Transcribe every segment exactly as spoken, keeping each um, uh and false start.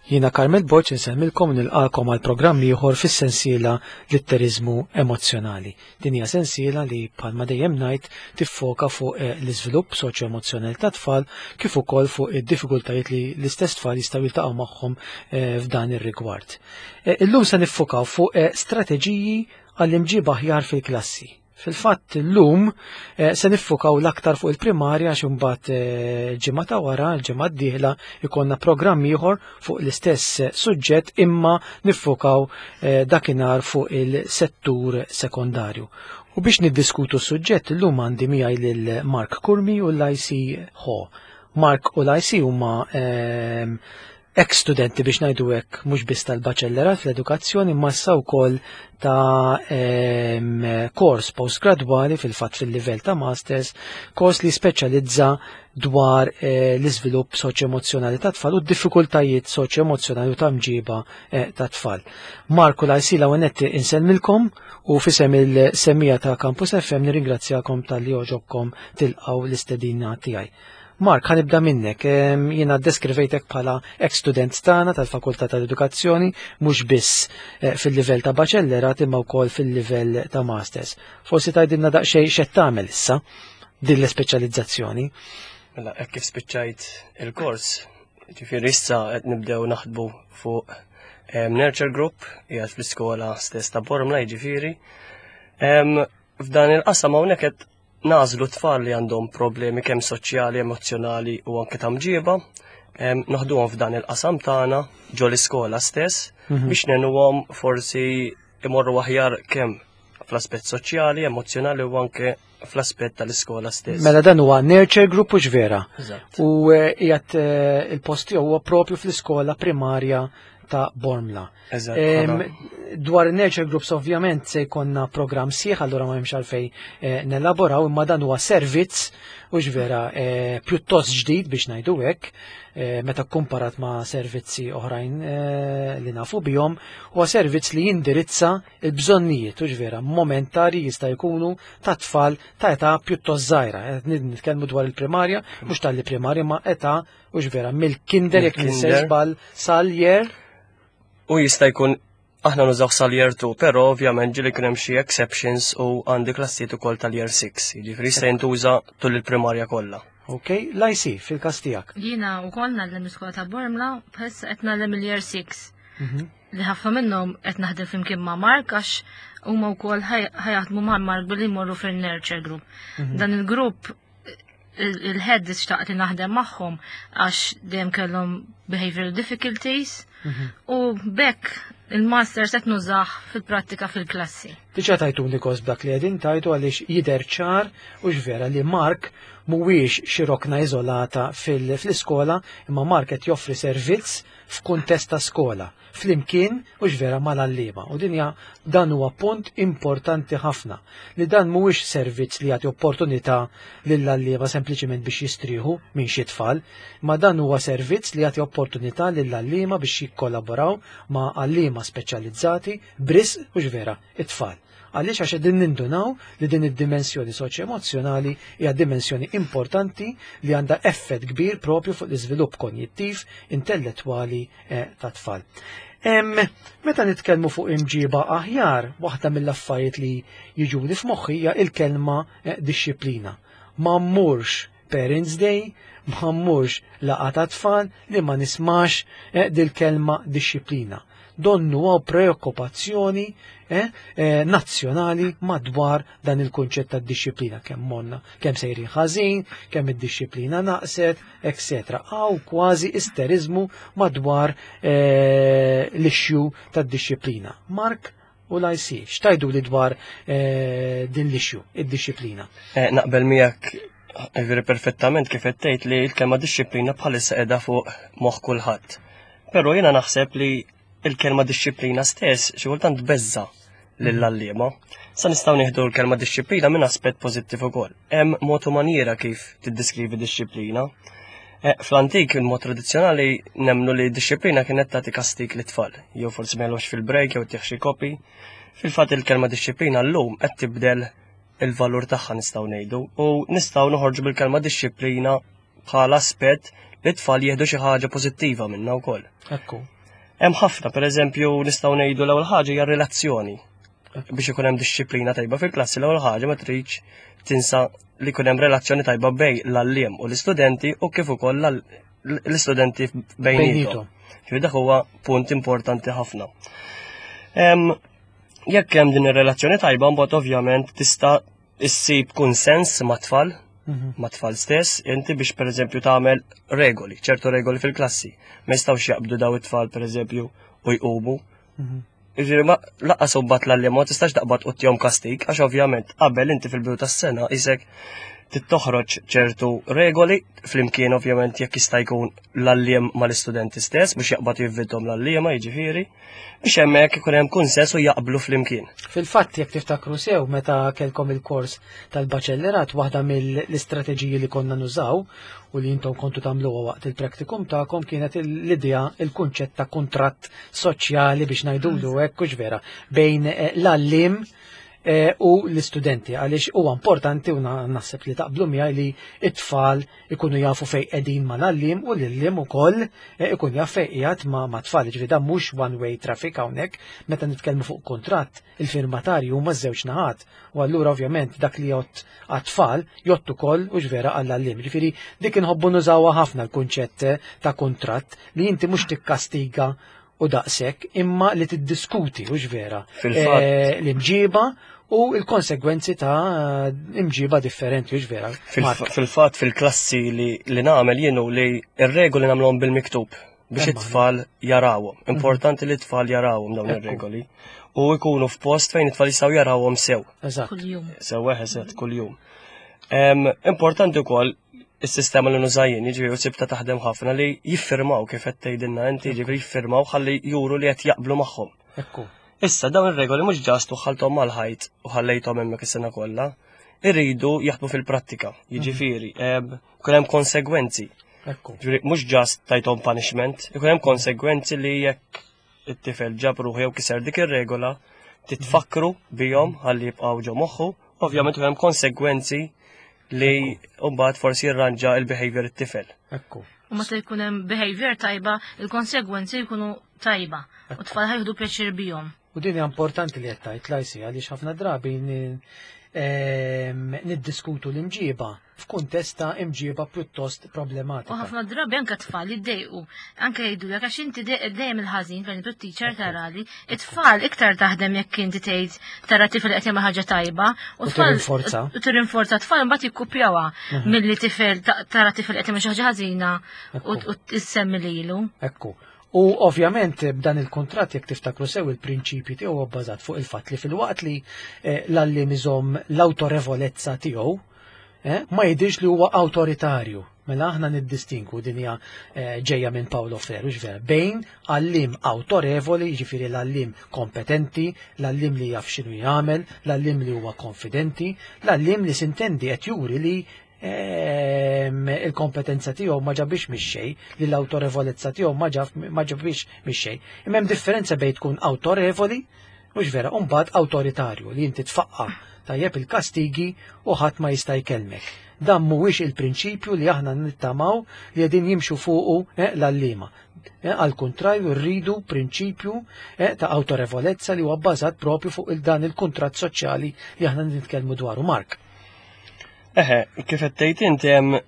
Jiena Carmel Borg insellmilkom, nilqagħkom għal programm ieħor fis-sensiela Litteriżmu Emozzjonali. Din hija sensiela li, bħalma dejjem ngħid, tiffoka fuq eh, l-iżvilupp soċjo-emozzjonali ta' tfal kif ukoll fuq id-diffikultajiet li l-istess tfal jistgħu jiltaqgħu magħhom eh, f'dan ir-rigward. Eh, illum se niffokaw fuq strateġiji għall-imġiba aħjar fil-klassi. Fil-fatt illum eh, se niffukaw l-aktar fuq il-primarja għax imbagħad eh, ġimgħa ta' wara, l-ġimgħa d-dieħla, ikollna programm ieħor fuq l-istess suġġett imma niffukaw eh, dakinhar fuq il-settur sekondarju. U biex niddiskutu s-suġġett illum għandi miegħi lil Mark Curmi u l-I C Ho. Mark u l-I C huma ehm, ex-studenti, biex ngħidu hekk, mhux biss tal-baċellerat fl-edukazzjoni ma issa wkoll ta' em, kors postgradwali, fil-fatt fil-livell ta' masters, kors li speċjalizza dwar eh, l-iżvilupp soċjo-emozzjonali ta' tfal u d-diffikultajiet soċjo-emozzjonali u ta' mġiba eh, ta' tfal. Mark u L I C, l-ewwel insellmilkom u f'isem il-semmiegħa ta' Campus F M nirringrazzjakom talli għoġobkom tilqgħu l-istedina tiegħi. Mark, ħa nibda minnek. Jiena ddeskrivejtek bħala ex-student tagħna tal-Fakultà tal-Edukazzjoni, mhux biss eh, fil-livell ta' baċellerat imma wkoll fil-livell ta' masters. Forsi tgħidilna daqsxejn x'qed tagħmel issa din l-ispeċjalizzazzjoni. Mela, hekk kif spiċċajt il-kors, ġifieri issa qed nibdew naħdbu fuq Nurture Group, qiegħed fl-iskola stess ta' Bormla, jiġifieri. F'dan il-qasam hawnhekk qed nagħżlu tfal li għandhom problemi kemm soċjali, emozjonali u anke ta' mġiba, noħduhom f'dan il-qasam tagħna ġo l-iskola stess mhm. biex ngħinuhom forsi imorru aħjar kemm fl-aspett soċjali, emozjonali u anke fl-aspett tal-iskola stess. Mela dan huwa Nurture Group, hux vera? U eh, qiegħed eh, il-post huwa propju fl-iskola primarja ta' Bormla. Dwar Nurture Groups ovvjament se jkollna program sħiħ, allura ma hemmx għalfejn eh, nelaboraw, imma dan huwa servizz, hux vera, eh, pjuttost ġdid, biex ngħidu hekk, eh, meta komparat ma' servizzi oħrajn li nafu bihom, huwa servizz li jindirizza il-bżonnijiet, hux vera, momentari jista' jkunu ta' tfal ta' età pjuttost żgħira. Nitkellmu dwar il-primarja, mhux talli primarja ma' età, hux vera, mill-kinder, jekk żball, sal-year U jista' jkun aħna nużaw sal-year two, però ovvjament ġieli kien hemm xi exceptions u għandi klassijiet ukoll tal-year six, jiġifieri jista' jintuża tul il-primarja kollha. Ok, L I C fil-każ tiegħek. Jiena wkoll ngħallem l-iskola ta' Bormla, bħalissa qed ngħallem il-year six. Mhm. Li ħafna minnhom qed naħdem flimkien ma' Mark għax huma wkoll ħa jaħdmu ma' Mark billi jmorru fil-nurture group. Mhm. Dan il-grupp il-head xtaqt li naħdem magħhom għax dejjem kellhom behavioral difficulties mhm. u b'hekk il-master set nużah fil-prattika fil-klassi. Diġà tajtuni kos b'dak li qegħdin tgħidu għaliex jidher ċar, hux vera, li Mark mhuwiex xi rokna iżolata fil-iskola imma Mark qed joffri servizz f'kuntest ta' skola flimkien, hux vera, mal-għalliema. U dinja dan huwa punt importanti ħafna li dan mhuwiex servizz li jagħti opportunità lill-għalliema sempliċement biex jistrieħu minn xi tfal, ma dan huwa servizz li jagħti opportunità lill-għalliema biex jikkollaboraw ma' għalliema speċjalizzati bris, hux vera, it-tfal. Għaliex? Għax qegħdin nindunaw li din id-dimensjoni soċjo-emozjonali hija dimensjoni importanti li għandha effett kbir propju fuq l-iżvilupp konjittiv, intellettwali eh, ta' tfal. Em, meta nitkellmu fuq imġiba aħjar, waħda mill-affarijiet li jiġuni f'moħħi hija il-kelma eh, dixxiplina. Ma mmurx Parents Day, ma mmurx laqgħa ta' tfal li ma nismax eh, dil-kelma dixxiplina. Donnu hawn preokkupazzjoni eh, eh, nazzjonali madwar dan il-kunċett ta' dixxiplina, kemm monna, kemm sejrin ħażin, kemm id-dixxiplina naqset, et cetera. Hawn kważi isterizmu madwar eh, l-issue tad-dixxiplina. Mark u l I C, x'tgħidu li dwar eh, din l-issue, id-dixxiplina? Eh, naqbel miegħek veri perfettament kif qed tgħid li l-kelma dixxiplina bħalissa qiegħda fuq moħħ kulħadd. Però jiena naħseb li il-kelma dixxiplina stess xi kultant tbeżża' lill-għalliema. Sa nistgħu nieħdu l-kelma dixxiplina minn aspett pożittiv ukoll. Hemm mod u maniera kif tiddeskrivi dixxiplina. Eh, Fl-antik, il-mod tradizzjonali, nemnu li dixxiplina kienet tagħti kastik lit-tfal, jew forsi ma fil-break jew tieħ xi kopi. Fil-fatt il-kelma dixxiplina llum qed tibdel il-valur tagħha, nistgħu ngħidu, u nistgħu noħorġu bil-kelma dixxiplina bħala aspett li t-tfal jieħdu xi ħaġa pożittiva minnha wkoll. Ekku. Hemm ħafna, pereżempju, nistgħu ngħidu l-ewwel ħaġa hija relazzjoni. Biex ikun hemm dixxiplina tajba fil-klassi l-ewwel ħaġa ma tridx tinsa li jkun hemm relazzjoni tajba bejn l-għalliem u l-istudenti u kif ukoll l-istudenti bejniethom. Ġifieri dak huwa punt importanti ħafna. Jekk hemm din ir-relazzjoni tajba mbagħad ovvjament tista' issib kunsens mat-tfal, mhm. mat-tfal stess, inti biex pereżempju tagħmel regoli, ċertu regoli fil-klassi. Ma jistgħux jaqbdu daw it-tfal pereżempju u jqumu. Mhm. Jiġifieri ma lanqas imbagħad l-għalliem ma tistax taqbad u ttihom kastig, għax ovvjament qabel inti fil-bidu tas-sena isek tittoħroġ ċertu regoli flimkien ovvjament jekk jista' jkun l-għalliem mal-istudenti stess biex jaqbad jivvidhom l-għalliema jiġifieri biex hemmhekk ikun hemm kunsens u jaqblu flimkien. Fil-fatt jekk tiftakru sew meta kellkom il-kors tal-baċellerat waħda mill-istrateġiji li konna nużaw u li intom kontu tagħmluha waqt il-praktikum tagħkom kienet l-idea il-kunċett ta' kuntratt soċjali biex ngħidulu hekk hux vera bejn eh, l-għalliem eh, u l-istudenti għaliex huwa importanti u naħseb li taqblu miegħi li it-tfal ikunu jafu fejn qegħdin mal-għalliem u l-għalliem ukoll eh, ikun jaf fejn qiegħed ma' tfal. Ġifieri dan mhux one way traffic hawnhekk meta nitkellmu fuq kuntratt il-firmatarju huma żewġ naħat u allura ovvjament dak li jgħodd għat-tfal jgħodd ukoll u vera għall-għalliem. Ġifieri dik inħobbu nużawha ħafna l-kunċett ta' kuntratt li inti mhux tikkastiga u daqshekk imma li tiddiskuti u vera eh, l-imġiba u l-konsegwenzi ta' imġiba differenti u vera. Fil-fatt fil-klassi li, li nagħmel jienu li ir-regoli nagħmluhom bil-miktub biex it-tfal jarawhom. Mhm. Importanti li t-tfal jarawhom dawn ir-regoli u jkunu f'post fejn it-tfal jistgħu jarawhom sew. Eżatt. Kuljum. Sew eżatt kuljum. Importanti wkoll is-sistema li nuża jien, jiġifieri u sibta taħdem ħafna li jiffirmaw kif qed tgħidilna inti, jiġifieri jiffirmaw ħalli juru li qed jaqblu magħhom. Ekku. Issa dawn ir-regoli mhux just waħħalthom mal-ħajt u ħallejthom hemmhekk is-sena kollha, irridu jaħdmu fil-prattika, jiġifieri, ikun hemm konsegwenzi. Ekku. Ġifieri mhux just tajthom punishment, ikun hemm konsegwenzi li jekk it-tifel ġab ruħu jew kiser dik ir-regola, titfakru bihom ħalli jibqgħu ġo moħħu, ovvjament ikun hemm konsegwenzi li mbagħad forsi jirranġa il-behavior it-tifel. Ekku. U meta jkun hemm behavior tajba, il-konsegwenzi jkunu tajba. U tfal ħa jieħdu pjaċir bihom. U din hija importanti li qed tgħid lajsi għaliex ħafna drabi ni- ehm, niddiskutu l-imġiba f'kuntest ta' imġiba pjuttost U problematika. ħafna drabi anke tfal jiddejqu. Anke jgħidulek għax inti de- dejjem il-ħażin fejn tu teacher tarali, it-tfal iktar taħdem jekk inti tgħid tara tifel qed jagħmel ħaġa tajba U tfal tirrinforza. U tirrinforza tfal mbagħad jikkupjawha milli tifel ta- tara tifel qed jagħmel xi ħaġa ħażina u Ekku. u tissemmi lilu. Ekku. U ovvjament b'dan il-kontrat jekk tiftakru sew il-prinċipji tiegħu huwa bbażat fuq il-fatt li filwaqt li eh, l-għalliem iżomm l-awtorevolezza tiegħu, eh, ma jidhirx li huwa awtoritarju. Mela aħna niddistinku din hija eh, ġejja minn Paulo Freire, vera, bejn għallim awtorevoli, jiġifieri l-għallim kompetenti, l-għallim li jaf x'inhu jagħmel, l-għallim li huwa konfidenti, l-għallim li sintendi qed juri li ehm, il-kompetenza tiegħu ma ġabix mix-xejn, li l-awtorevolezza tiegħu ma ġab ma ġabix mix-xejn. Imma hemm differenza bejn tkun awtorevoli, mhux vera, u mbagħad awtoritarju li inti tfaqqa tajjeb il-kastigi u ħadd ma jista' jkellmek. Dan mhuwiex il-prinċipju li aħna nittamaw li qegħdin jimxu fuqu eh, l-għalliema. Eh, Al kontrarju rridu prinċipju eh, ta' awtorevolezza li huwa bbażat propju fuq il-dan il-kuntratt soċjali li aħna nitkellmu dwaru. Mark. Eħe, kif qed tgħid inti hemm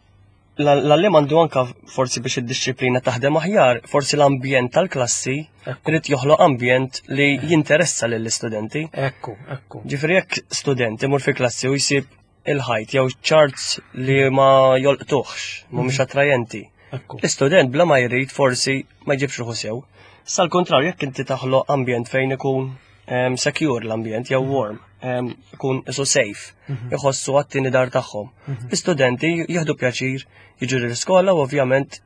l-għalliem għandu anka forsi biex id-dixxiplina taħdem aħjar, forsi l-ambjent tal-klassi Ekku. irid joħloq ambjent li jinteressa lill-istudenti. Ekku, ekku. Ġifieri jekk student imur fi klassi u jsib il-ħajt jew charts li ma jolqtuħx, mhumiex attrajenti. Ekku. L-istudent bla ma jrid forsi ma jġibx ruħu sew. Sal kontrarju jekk inti taħloq ambjent fejn ikun em, secure l-ambjent jew warm, em, ikun isu safe, iħossu għat-tieni dar tagħhom. L-istudenti jieħdu pjaċir jiġu l-iskola u ovvjament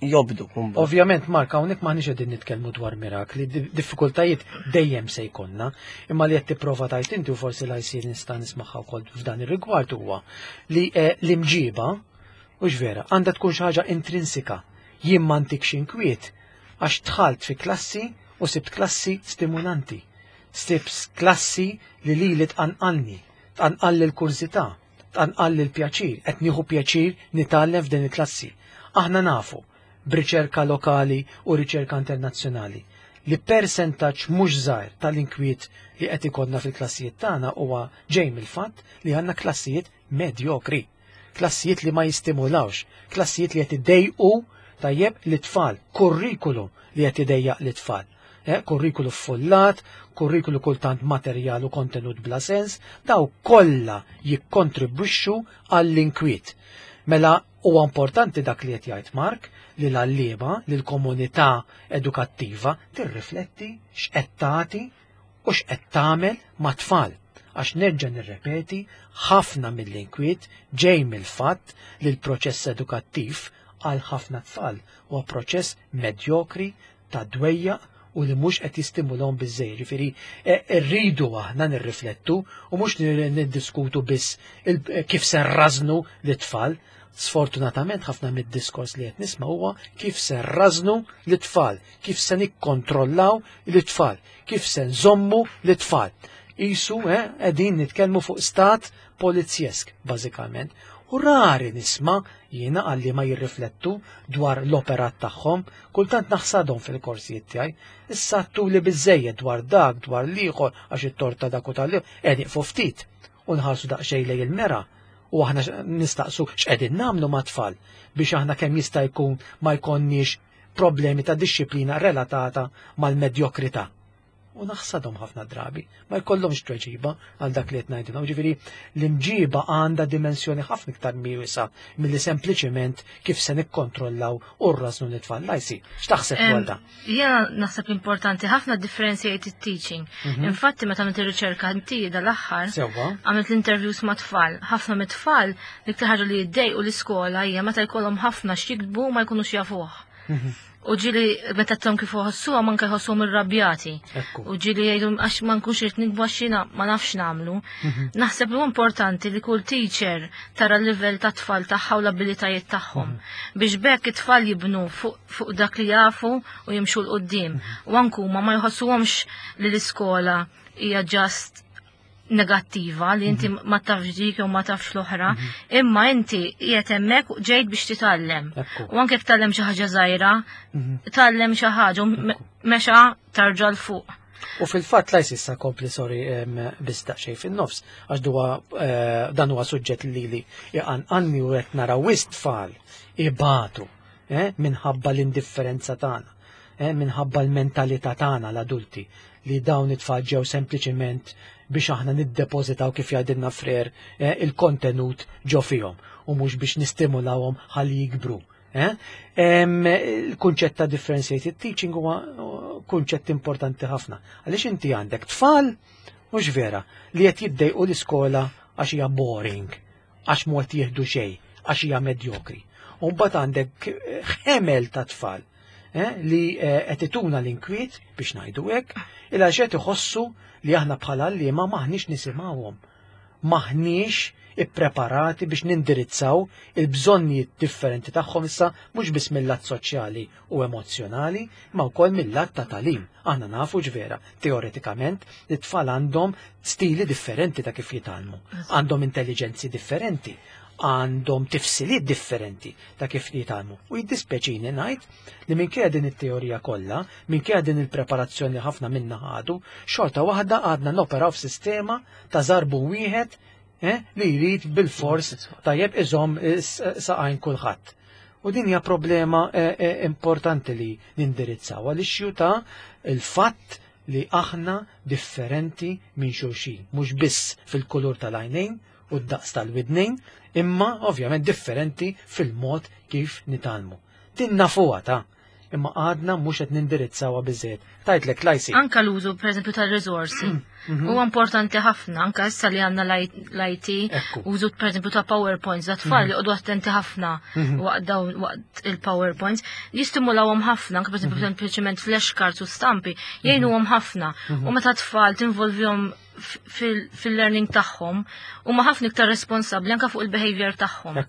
jobdu. mbagħad. Ovvjament, Mark, hawnhekk m'aħniex qegħdin nitkellmu dwar mirakli, di- diffikultajiet dejjem se jkollna, imma li qed tipprova tajt inti u forsi la jsir nista' nismagħha wkoll f'dan ir-rigward huwa li eh, l-imġiba hux vera, għandha tkun xi ħaġa intrinsika. Jien m'għandikx inkwiet għax dħalt fi klassi u sibt klassi stimulanti. Sibt klassi li lili tqanqalni, tqanqalli l-kurżità, tqanqalli l-pjaċir, qed nieħu pjaċir nitgħallem f'din il-klassi. Aħna nafu b'riċerka lokali u riċerka internazzjonali li persentaġġ mhux żgħir tal-inkwiet li qed ikollna fil-klassijiet tagħna huwa ġej mill-fatt li għandna klassijiet medjokri, klassijiet li ma jistimulawx, klassijiet li qed idejqu tajjeb l-tfal, kurrikulum li qed idejjaq l-tfal. Eh, kurrikulu follat, kurrikulu kultant materjal u kontenut bla sens, daw kollha jikkontribwixxu għall-inkwiet. Mela huwa importanti dak li qed jgħid Mark li l-għalliema, li l-komunità edukattiva tirrifletti x'qed tagħti u x'qed tagħmel mat-tfal. Għax nerġa' nirrepeti, ħafna mill-inkwiet ġej mill-fatt li l-proċess edukattiv għal ħafna tfal huwa proċess medjokri ta' dwejjaq u li mhux qed jistimulhom biżejjed. Ġifieri rridu aħna nirriflettu u mhux niddiskutu biss kif se nrażnu l-tfal. Sfortunatament ħafna mid-diskors li qed nisma' huwa kif se nrażnu l-tfal, kif se nikkontrollaw l-tfal, kif se nżommu l-tfal. Isu qegħdin nitkellmu fuq stat polizjesk bażikament. U rari nisma' jiena għalli ma jirriflettu dwar l-operat tagħhom, kultant naħsadhom fil-korsijiet tiegħi. Issa li biżejjed dwar dak, dwar l-ieħor għax it-torta dak u tal qed nieqfu ftit u nħarsu daqsxejn lejn il-mera u aħna nistaqsu x'qegħdin nagħmlu mat-tfal biex aħna kemm jista' jkun ma jkollniex problemi ta' dixxiplina relatata mal-medjokrità. U naħsadhom ħafna drabi, ma jkollhomx tweġiba għal dak li qed ngħidilhom. Ġifieri l-imġiba għandha dimensjoni ħafna iktar wiesgħa milli sempliċiment kif se nikkontrollaw u rrażnu l-tfal. Lajsi, x'taħseb dwar dan? Jiena naħseb importanti ħafna differentiated teaching. Infatti meta għamilt ir-riċerka inti dal-aħħar, għamilt l-interviews ma' tfal. Ħafna mit-tfal l-iktar ħaġa li jiddejqu l-iskola hija meta jkollhom ħafna x'jiktbu ma jkunux jafuh. U ġieli meta tom kif uħossuha manka jħossuhom irrabjati. U ġieli jgħidu għax ma nkunx irid nikbu għax jiena ma nafx nagħmlu. Naħseb li importanti li kull teacher tara l-livell ta' tfal tagħha u l-abilitajiet tagħhom. Biex bekk it-tfal jibnu fuq dak li jafu u jimxu 'l quddiem. U anke huma ma jħossuhomx li l-iskola hija just negattiva li inti ma tafx dik jew ma tafx l-oħra, imma inti qiegħed hemmhekk ġejt biex titgħallem. U anke jekk tgħallem xi ħaġa żgħira, tgħallem xi ħaġa u mexa tarġa' 'l fuq. U fil-fatt lajs issa kompli sorry biss daqsxejn fin-nofs għax duwa dan huwa suġġett li li iqanqalni u qed nara wisq tfal ibatu minħabba l-indifferenza tagħna, minħabba l-mentalità tagħna l-adulti li dawn it-tfal ġew sempliċiment biex aħna niddepożitaw kif jgħidilna Frer il-kontenut ġo fihom u mhux biex nistimulawhom ħalli jikbru. Il-kunċett ta' differentiated teaching huwa kunċett importanti ħafna. Għaliex inti għandek tfal mhux vera li qed jiddejqu l-iskola għax hija boring, għax mhu qed jieħdu xejn, għax hija medjokri. U mbagħad għandek ħemel ta' tfal li qed ituna l-inkwiet biex ngħidu hekk, il għax qed iħossu li aħna bħala għalliema maħniex nisimgħuhom, maħniex ippreparati biex nindirizzaw il-bżonnijiet differenti tagħhom issa mhux biss mill-lat soċjali u emozjonali, ma wkoll mill-lat ta' tagħlim. Aħna nafu ġvera, teoretikament, li t-tfal għandhom stili differenti ta' kif jitgħallmu, għandhom intelligenzi differenti, għandhom tifsiliet differenti ta' kif jitgħallmu. U jiddispeċini ngħid li minkejja din it-teorija kollha, minkejja din il-preparazzjoni ħafna minna ħadu, xorta waħda għadna noperaw f'sistema ta' żarbu wieħed li jrid bil-fors tajjeb iżomm saqajn kulħadd. U din hija problema importanti li nindirizzaw għaliex ta' il-fatt li aħna differenti minn xulxin, mhux biss fil-kulur tal-għajnejn u d-daqs tal-widnejn, imma ovvjament differenti fil-mod kif nitgħallmu. Din nafuha ta' imma għadna mhux qed nindirizzawha biżejjed. Tajtlek lajsi. Anka l-użu pereżempju tal-riżorsi. Huwa importanti ħafna anka issa li għandna l-I T, użu pereżempju ta' PowerPoints, da tfal joqogħdu attenti ħafna waqt dawn waqt il-PowerPoints, jistimulawhom ħafna, anka pereżempju sempliċement flashcards u stampi, jgħinuhom ħafna. U meta tfal tinvolvihom fil-learning tagħhom huma ħafna iktar responsabbli anka fuq il-behavior tagħhom.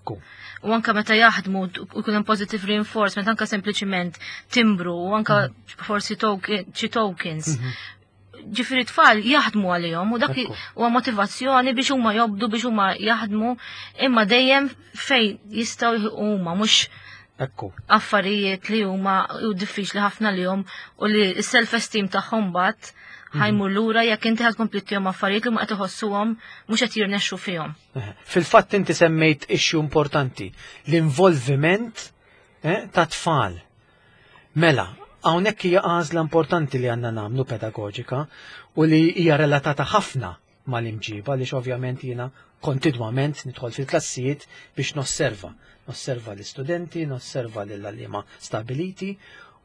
U anka meta jaħdmu u jkun hemm positive reinforcement, anka sempliċiment timbru u anka forsi xi tokens. Ġifieri tfal jaħdmu għalihom u dak huwa motivazzjoni biex huma jobdu, biex huma jaħdmu, imma dejjem fejn jistgħu huma mhux Ekku. Affarijiet li huma u diffiċli ħafna lilhom u li s-self-esteem tagħhom bat ħa jmur lura jekk inti ħa tkompli ttihom affarijiet li ma qed iħossuhom mhux qed jirnexxu fihom. Fil-fatt inti semmejt issue importanti, l-involviment eh, ta' tfal. Mela, hawnhekk hija għażla importanti li għandna nagħmlu pedagoġika u li hija relatata ħafna mal-imġiba li ovvjament jiena kontinwament nidħol fil-klassijiet biex nosserva. Nosserva l-istudenti, nosserva l-għalliema stabiliti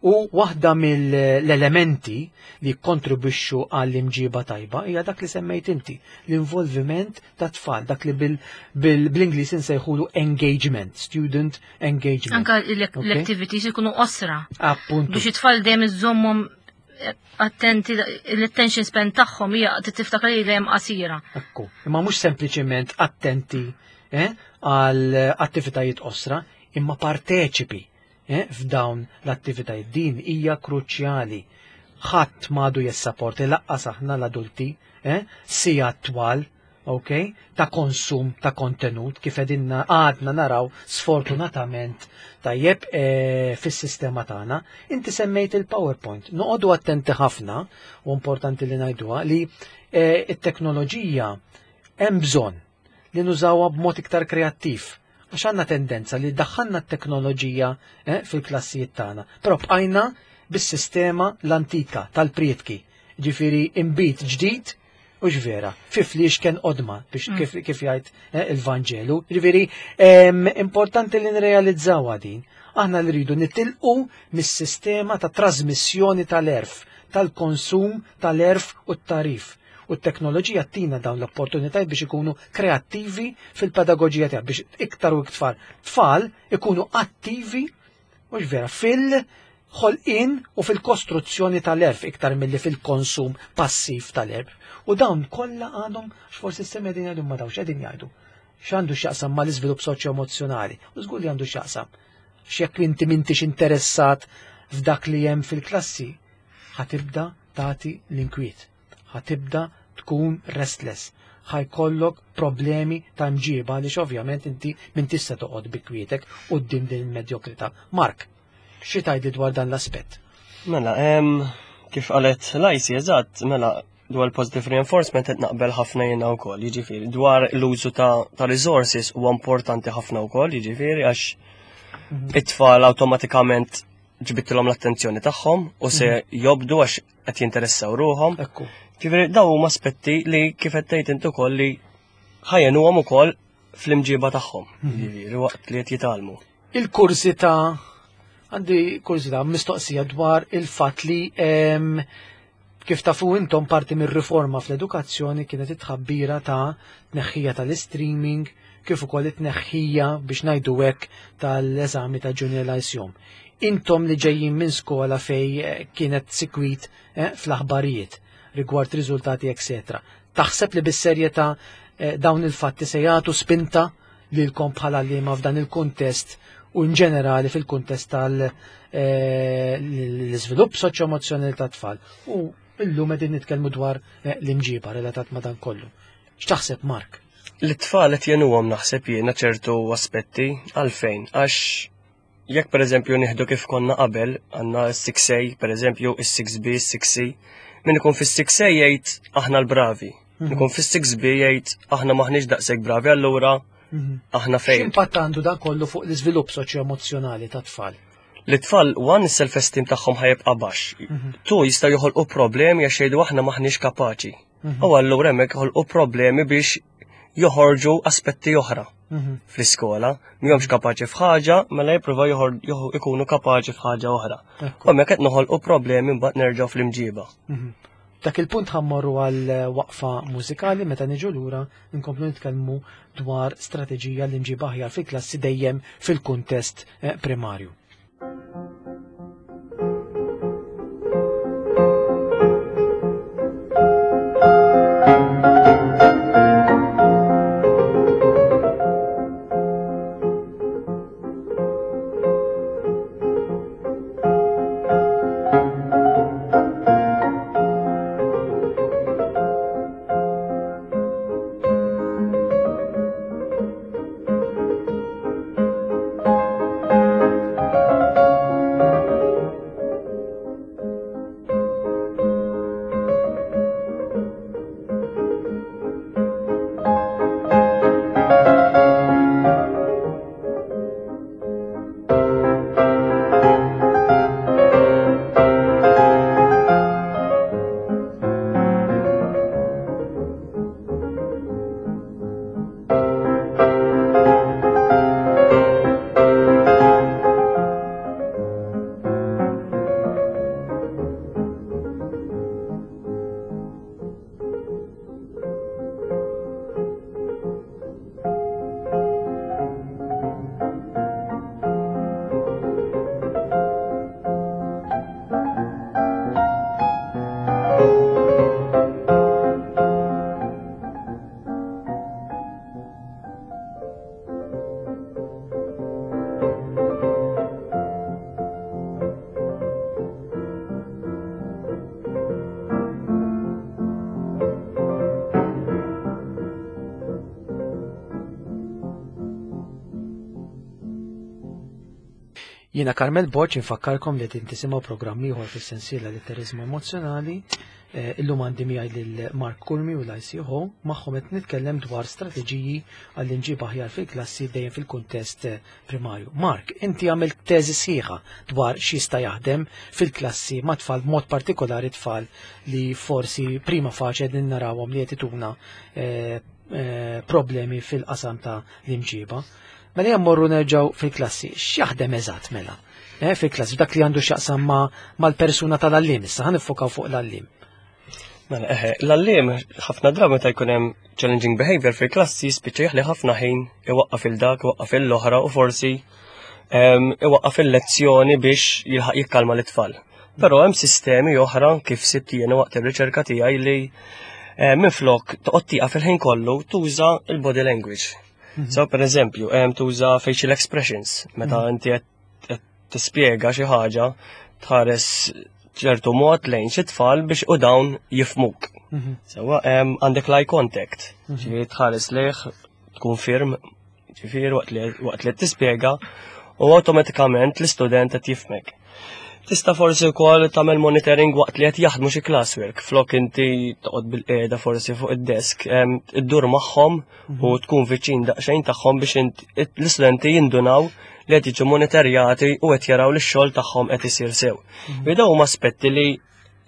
u waħda mill-elementi li kontribwixxu għall-imġiba tajba hija dak li semmejt inti, l-involviment ta' tfal, dak li bil-Ingliż insejħulu engagement, student engagement. Anka l-activities ikunu qosra. Appuntu. Biex it-tfal dejjem iżommhom attenti, l-attention span tagħhom hija tiftakar li dejjem qasira. Ekku, imma mhux sempliċiment attenti eh, għal attivitajiet qosra, imma parteċipi eh, f'dawn l-attivitajiet. Din hija kruċjali. Ħadd m'għadu jissaporti lanqas aħna l-adulti, eh, sija twal, ok, ta' konsum ta' kontenut kif qegħdin għadna naraw sfortunatament tajjeb eh, fis-sistema tagħna. Inti semmejt il-PowerPoint. Noqogħdu attenti ħafna u importanti li ngħiduha li eh, it-teknoloġija hemm bżonn li nużawha b'mod iktar kreattiv. Għax għandna tendenza li daħħalna t-teknoloġija eh, fil-klassijiet tagħna, però bqajna bis-sistema l-antika tal-prietki. Ġifieri imbit ġdid u ġvera, fi fliexken qodma biex mm. kif, kif jgħid eh, il-Vanġelu. Ġifieri importanti li nrealizzaw din. Aħna li rridu nitilqu mis-sistema ta' trasmissjoni tal-għerf, tal-konsum tal-għerf u t-tagħrif. U t-teknoloġija tina dawn l-opportunitajiet biex ikunu kreattivi fil-pedagogija tiegħek biex iktar u iktar tfal ikunu attivi u vera fil-ħolqien u fil-kostruzzjoni tal-għerf iktar milli fil-konsum passiv tal-għerf. U dawn kollha għandhom x'forsi s qegħdin jgħidu ma dawx qegħdin jgħidu. X'għandu x'jaqsam mal-iżvilupp soċjo-emozzjonali? U żgur li għandu x'jaqsam. X'jekk inti m'intix interessat f'dak li hemm fil-klassi, ħa tibda tagħti l-inkwiet, ħa tibda tkun restless, ħa jkollok problemi ta' mġiba li ovvjament inti min tista' toqgħod bi kwietek quddiem din il-medjokrità. Mark, xi tgħidli dwar dan l-aspett? Mela, em, kif qalet Lajsi, eżatt, mela, dwar positive reinforcement qed naqbel ħafna jiena wkoll, jiġifieri dwar l-użu ta', ta' resources huwa importanti ħafna wkoll, jiġifieri għax it-tfal awtomatikament ġbidtilhom l-attenzjoni tagħhom u se jobdu għax qed jinteressaw ruhom. Ekku. Ġifieri daw huma aspetti li kif qed tgħid int ukoll li ħa jgħinuhom ukoll fl-imġiba tagħhom, jiġifieri waqt li qed jitgħallmu. Il-kurżità, għandi kurżità mistoqsija dwar il-fatt li em, kif tafu intom parti mir-riforma fl-edukazzjoni kienet it-tħabbira ta' tneħħija tal-streaming kif ukoll it-tneħħija biex ngħidu hekk tal-eżami ta' Junior Lyceum. Intom li ġejjin minn skola fej eh, kienet sikwit eh, fl-aħbarijiet rigward riżultati eccetera. Taħseb li bis-serjetà eh, dawn il-fatti se jagħtu spinta lilkom bħala għalliema f'dan il-kuntest u in ġenerali fil-kuntest tal-iżvilupp soċjo-emozzjonali tat-tfal. U illum qegħdin nitkellmu dwar eh, l-imġiba relatat ma' dan kollu. X'taħseb Mark? L-tfal qed jgħinuhom naħseb jiena ċertu aspetti għalfejn għax jekk pereżempju nieħdu kif konna qabel għandna s-six A pereżempju is-six B, is-six C, min ikun fis-six A jgħid aħna l-bravi. Mhm. Ikun fis-six B jgħid aħna maħniex daqshekk bravi allura Mhm. aħna fejn. X'impatt għandu dan kollu fuq l-iżvilupp soċjo-emozzjonali tat-tfal? L-tfal, one, is-self-esteem tagħhom ħa jibqa' baxx. Mhm. Two, jistgħu joħolqu problemi għax jgħidu aħna maħniex kapaċi. U allura hemmhekk joħolqu problemi biex joħorġu aspetti oħra Mhm. fl-iskola. Mhumiex kapaċi f'ħaġa, mela jippruvaw joħor- joħ- ikunu kapaċi f'ħaġa oħra. Ekku. U hemmhekk qed noħolqu problemi mbagħad nerġgħu fl-imġiba. Mhm. Dak il-punt ħa mmorru għal waqfa mużikali meta niġu lura nkomplu nitkellmu dwar strateġija li mġiba aħjar fil-klassi dejjem fil-kuntest eh, primarju. Jiena Carmel Borg, infakkarkom li qed tisimgħu programm ieħor fis-sensiela Litteriżmu Emozzjonali. Eh, Illum għandi miegħi lil Mark Curmi u l-I C H O, magħhom qed nitkellem dwar strateġiji għall-imġiba aħjar fil-klassi, dejjem fil-kuntest eh, primarju. Mark, inti għamilt teżi sħiħa dwar x'jista' jaħdem fil-klassi ma' tfal, b'mod partikolari tfal li forsi prima facie din narawhom li qed ituna eh, eh, problemi fil-qasam ta' l-imġiba. Mela jemmorru nerġgħu fil-klassi, x'jaħdem eżatt mela? Eh, fil-klassi, dak li għandu x'jaqsam ma' mal-persuna tal-għalliem, issa ħa niffokaw fuq l-għalliem. Mela, eħe, l-għalliem ħafna drabi meta jkun hemm challenging behavior fil-klassi spiċċa jaħli ħafna ħin iwaqqaf il dak, iwaqqaf il-oħra u forsi em, iwaqqaf il-lezzjoni biex jilħaq jikkalma l-itfal. Però hemm sistemi oħra, kif sibt jiena waqt ir-riċerka tiegħi, li eh, minflok toqgħod tieqaf il-ħin kollu tuża il-body language. So per eżempju, hemm tuża facial expressions meta inti qed qed tispjega xi ħaġa, tħares ċertu mod lejn xi tfal biex u dawn jifhmuk. Sewwa, hemm għandek l-eye contact, ġifieri tħares lejh, tkun firm, ġifieri waqt li waqt li tispjega u awtomatikament l-istudent qed jifhmek. Tista' forsi wkoll tagħmel monitoring waqt li qed jaħdmu xi classwork, flok inti toqgħod bil-qiegħda forsi fuq id-desk, em, iddur magħhom u tkun viċin daqsxejn tagħhom biex int- l-istudenti jindunaw li qed jiġu monitorjati u qed jaraw li x-xogħol tagħhom qed isir sew. Mm Dawn huma aspetti li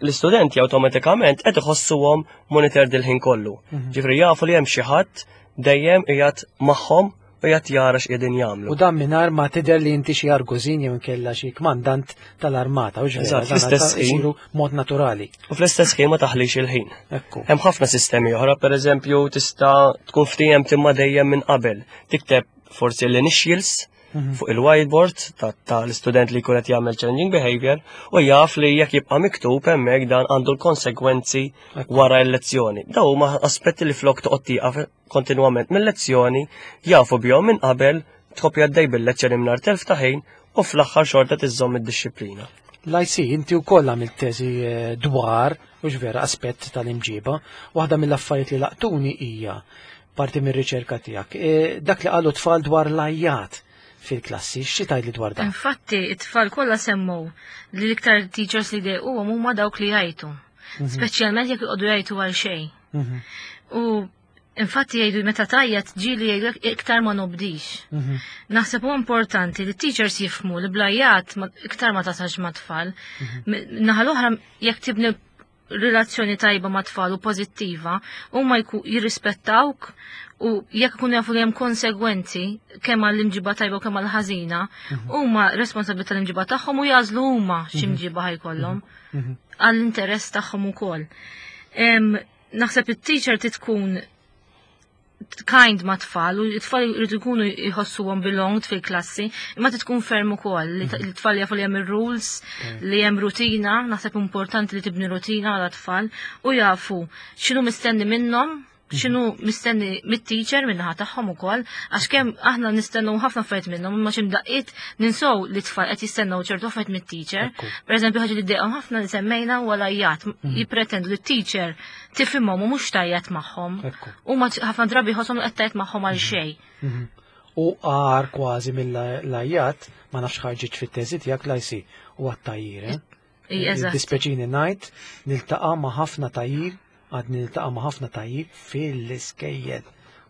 l-istudenti awtomatikament qed iħossuhom monitored il-ħin kollu. Ġifieri jafu li hemm xi ħadd dejjem qiegħed magħhom u qiegħed jara x'qegħdin jagħmlu. U dan mingħajr ma tidher li inti xi argużin jew inkella xi kmandant tal-armata, u ġifieri, Eżatt, dan fl-istess ħin. isiru mod naturali. U fl-istess ħin ma taħlix il-ħin. Ekku. Hemm ħafna sistemi oħra, per eżempju, tista' tkun ftiehem imma dejjem minn qabel. Tikteb forsi l-initials fuq il-whiteboard ta' ta' l-istudent li jkun qed jagħmel challenging behavior u jaf li jekk jibqa' miktub hemmhekk dan għandu l-konsekwenzi wara l-lezzjoni. Dawn huma aspetti li flok toqgħod tieqaf kontinwament mill-lezzjoni, jafu bihom minn qabel, tkompli għaddej bil-lezzjoni mingħajr telf ta' ħin u fl-aħħar xorta tiżżomm id-dixxiplina. L-I C, inti wkoll għamilt teżi eh, dwar, u vera, aspett tal-imġiba. Waħda mill-affarijiet li laqtuni hija parti mir-riċerka tiegħek. Eh, Dak li qalu tfal dwar l-għajjat fil-klassi, xi tgħidli dwar dan? Infatti, it-tfal kollha semmow li l-iktar teachers li dejquhom huma dawk li jgħajtu. Speċjalment jekk iqogħdu jgħajtu għal xejn. Mhm, U infatti jgħidu meta tgħajjat ġieli jgħidu iktar ma nobdix. mhm, Naħseb huwa importanti li teachers jifhmu li bl-għajjat ma- iktar ma tasalx ma' tfal. Naħa l-oħra, jekk tibni relazzjoni tajba ma' tfal u pożittiva, huma jku jirrispettawk u jekk ikunu jafu li hemm konsegwenzi kemm għall-imġiba tajba u kemm għall-ħażina, huma responsabbli tal-imġiba tagħhom u jagħżlu huma x'imġiba ħa jkollhom mhm. għall-interess tagħhom ukoll. Em, Naħseb it-teacher tkun kind ma' tfal u t-tfal jridu jkunu jħossuhom belonged fil-klassi, imma tkun ferm ukoll li t- t-tfal jafu li hemm ir-rules, li hemm rutina. Naħseb importanti li tibni rutina għal tfal u jafu x'inhu mistenni minnhom, x'inhu mistenni mit-teacher minnaħa tagħhom ukoll, għax kemm aħna nistennew ħafna affarijiet minnhom, imma xi mdaqqiet ninsow li tfal qed jistennew ċertu affarijiet mit-teacher. Ekku. Per eżempju, ħaġa li ddejqhom ħafna li semmejna huwa l-għajjat, jippretendu li t-teacher tifhimhom u mhux tgħajjat magħhom. Ekku. U ma ħafna drabi jħosshom li qed tgħajjat magħhom għal xejn. Mhm. U għar kważi mill-għajjat, ma nafx ħarġitx fit-teżi tiegħek, l-I C, u għat-tgħajjir, eh? Ij, eżatt. Dispjaċini ngħid, niltaqa' ma' ħafna tgħajjir, għad niltaqa' ma' ħafna tgħajjir fil-iskejjel.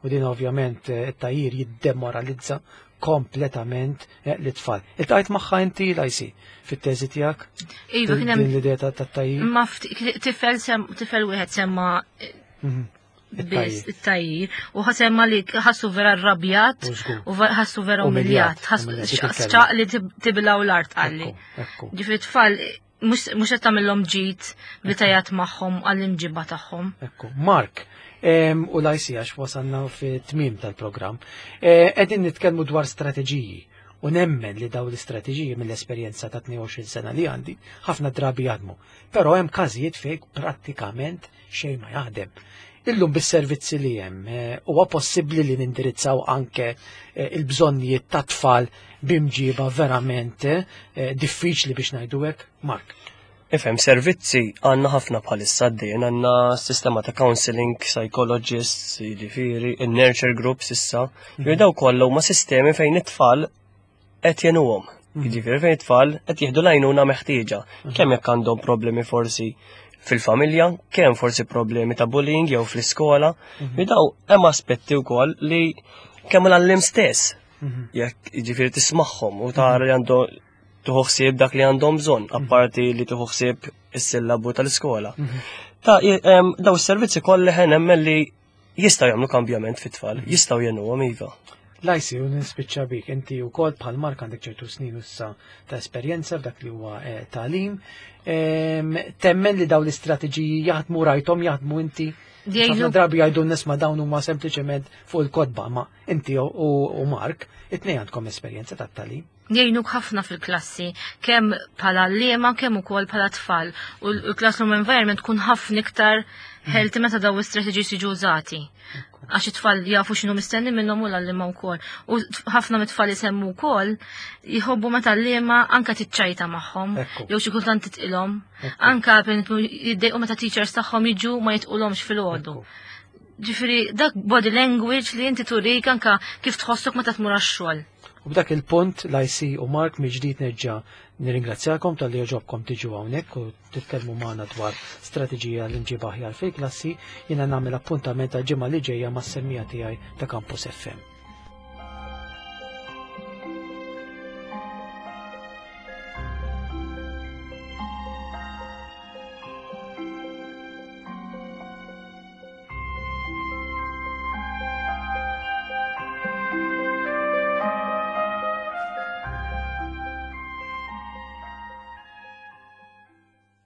U din ovvjament eh, it-tgħajjir jiddemoralizza kompletament eh, l-tfal. Iltqajt magħha inti, l-I C, fit-teżi tiegħek? Iva, kien hemm Din l-idea ta' tgħajjir? ma fti- tifel sem tifel wieħed semma Mhm. biss it-tgħajjir u ħasemma li ħassu vera rrabjat U żgur. u va- ħassu vera Umiljat, umiljat, ħassu umiljat, dik il-kelma. xaq li tib- tibilgħu l-art qalli. Ekku, ekku. Ġifieri tfal mhux mhux qed tagħmilhom ġid li tgħajjat magħhom għall-imġiba tagħhom. Ekku. Mark, em, u l-I C, għax wasalna fi tmim tal-programm, eh, qegħdin nitkellmu dwar strateġiji u nemmen li daw l-istrateġiji, mill-esperjenza ta' tnejn u għoxrin sena li għandi, ħafna drabi jaħdmu. Però hemm każijiet fejn prattikament xejn ma jaħdem. Illum bis-servizzi li hemm, eh, huwa possibbli li nindirizzaw anke eh, il-bżonnijiet ta' tfal b'imġiba verament eh, diffiċli, biex ngħidu hekk, Mark? Ifhem, servizzi għandna ħafna bħalissa għaddejjin, għandna sistema ta' counseling, psychologists, jiġifieri, il-nurture groups issa. Mm -hmm. Daw kollha huma sistemi fejn it-tfal qed jgħinuhom. Jiġifieri fejn it-tfal qed jieħdu l-għajnuna meħtieġa, kemm jekk għandhom problemi forsi fil-familja, kemm forsi problemi ta' bullying jew fl-iskola, li daw hemm aspetti wkoll li kemm l-għalliem stess, jekk jiġifieri tismagħhom u tara li għandhom tieħu ħsieb dak li għandhom bżonn, apparti li tieħu ħsieb is-sillabu tal-iskola. Ta' em, daw is-servizzi kollha ħen nemmen li jistgħu jagħmlu kambjament fit-tfal, jistgħu jgħinuhom iva. Lajsi, u nispiċċa bik, inti wkoll bħal Mark għandek ċertu snin issa ta' esperjenza f'dak li huwa eh, tagħlim. Em, Temmen li daw l-istrateġiji jaħdmu, rajthom jaħdmu inti? Jgħinu- Ħafna drabi jgħidu nisma' dawn huma sempliċement fuq il-kotba, ma inti u, u Mark, it-tnejn għandkom esperjenza ta' tagħlim. Jgħinuk ħafna fil-klassi, kemm bħala għalliema, kemm ukoll bħala tfal. U l-classroom environment tkun ħafna iktar healthy meta daw l-strategies jiġu użati. Għax it-tfal jafu x'inhu mistenni minnhom u l-għalliema wkoll. U ħafna mit-tfal isemmu wkoll jħobbu meta l-għalliema anka tiċċajta magħhom, Ekku. jew xi kultant titqilhom. Anka per jiddejqu meta teachers tagħhom jiġu ma jitqulhomx filgħodu. Ġifieri dak body language li inti turik anka kif tħossok meta tmur għax-xogħol. U b'dak il-punt, Lajsi u Mark, mill-ġdid nerġa' nirringrazzjakom talli għoġobkom tiġu hawnhekk u titkellmu magħna dwar strateġija l-imġiba aħjar fil-klassi. Jiena nagħmel appuntament għal ġimgħa li ġejja mas-semmiegħa tiegħi ta' Campus F M.